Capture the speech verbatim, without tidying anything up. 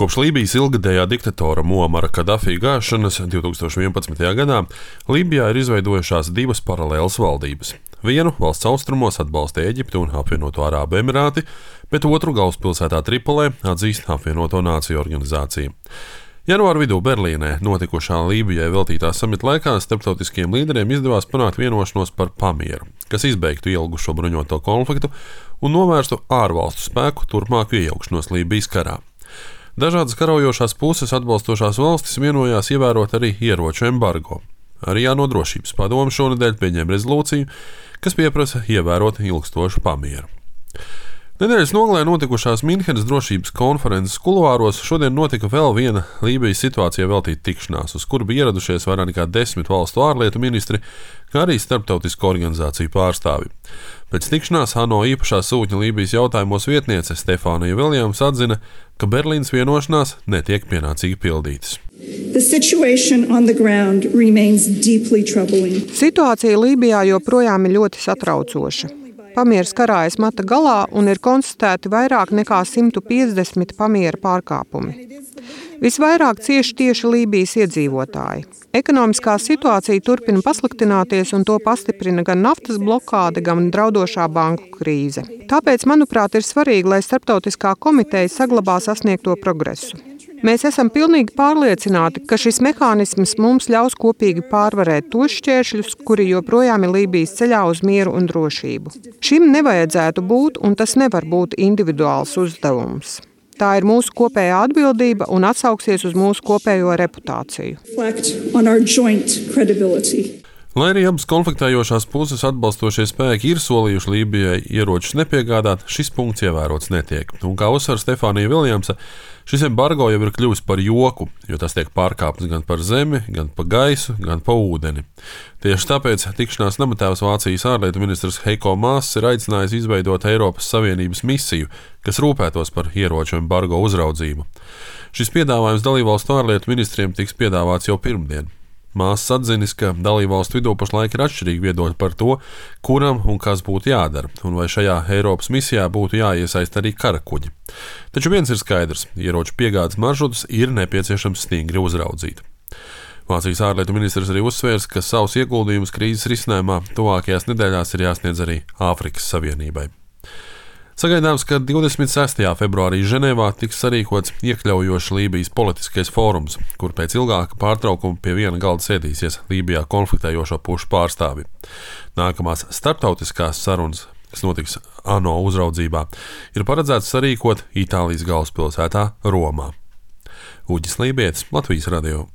Kopš Lībijas ilgadējā diktatora Muamara Kadafī gāšanas divtūkstoš vienpadsmitajā gadā Lībijā ir izveidojušās divas paralēlas valdības. Vienu valsts austrumos atbalsta Ēģipte un Apvienoto Arābu Emirāti, bet otru galvaspilsētā Tripolē atzīst Apvienoto Nāciju organizācija. Janvāra vidū Berlīnē notikušā Lībijai veltītā samita laikā starptautiskiem līderiem izdevās panākt vienošanos par pamieru, kas izbeigtu ilgušo bruņoto konfliktu un novērstu ārvalstu spēku turpmāku iejaukšanos Lībijas karā. Dažādas karaujošās puses atbalstošās valstis vienojās ievērot arī ieroču embargo. Arī ANO drošības padome šonedēļ pieņēma rezolūciju, kas pieprasa ievērot ilgstošu pamieru. Nedēļas nogalē notikušās Minhenes drošības konferences kuluāros šodien notika vēl viena Lībijas situācijai veltīta tikšanās, uz kuru bija ieradušies vairāk nekā desmit valstu ārlietu ministri, kā arī starptautisko organizāciju pārstāvi. Pēc tikšanās ANO īpašā sūtņa Lībijas jautājumos vietniece Stefānija Viljams atzina, ka Berlīnas vienošanās netiek pienācīgi pildītas. Situācija Lībijā joprojām ir ļoti satraucoša. Pamieras karājas mata galā un ir konstatēti vairāk nekā simt piecdesmit pamiera pārkāpumi. Visvairāk cieši tieši Lībijas iedzīvotāji. Ekonomiskā situācija turpina pasliktināties un to pastiprina gan naftas blokāde, gan draudošā banku krīze. Tāpēc, manuprāt, ir svarīgi, lai starptautiskā komiteja saglabā sasniegto progresu. Mēs esam pilnīgi pārliecināti, ka šis mehānisms mums ļaus kopīgi pārvarēt tos šķēršļus, kuri joprojām ir Lībijas ceļā uz mieru un drošību. Šim nevajadzētu būt, un tas nevar būt individuāls uzdevums. Tā ir mūsu kopējā atbildība un atsauksies uz mūsu kopējo reputāciju. Lai arī abas konfliktējošās puses atbalstošie spēki ir solījuši Lībijai ieročus nepiegādāt, šis punkts ievērots netiek. Un kā uzsver Stefānija Viljamsa, šis embargo jau ir kļuvis par joku, jo tas tiek pārkāpts gan par zemi, gan pa gaisu, gan pa ūdeni. Tieši tāpēc tikšanās namatēvs Vācijas ārlietu ministrs Heiko Maas ir aicinājis izveidot Eiropas Savienības misiju, kas rūpētos par ieroču embargo uzraudzību. Šis piedāvājums dalībvalstu ārlietu ministriem tiks piedāvāts jau pirmdien. Māsas atzinis, ka dalībvalstu vidū pašlaik ir atšķirīgi viedokļi par to, kuram un kas būtu jādara, un vai šajā Eiropas misijā būtu jāiesaist arī karakuģi. Taču viens ir skaidrs – ieroču piegādes maršrutus ir nepieciešams stingri uzraudzīt. Vācijas ārlietu ministrs arī uzsvērs, ka savus ieguldījumus krīzes risinājumā tuvākajās nedēļās ir jāsniedz arī Āfrikas Savienībai. Sagaidāms, ka divdesmit sestajā februārī Ženēvā tiks sarīkots iekļaujošs Lībijas politiskais fórums, kur pēc ilgāka pārtraukuma pie viena galda sēdīsies Lībijā konfliktējošo pušu pārstāvi. Nākamās starptautiskās sarunas, kas notiks ANO uzraudzībā, ir paredzēts sarīkot Itālijas galvaspilsētā Romā. Uģis Lībietis, Latvijas radio.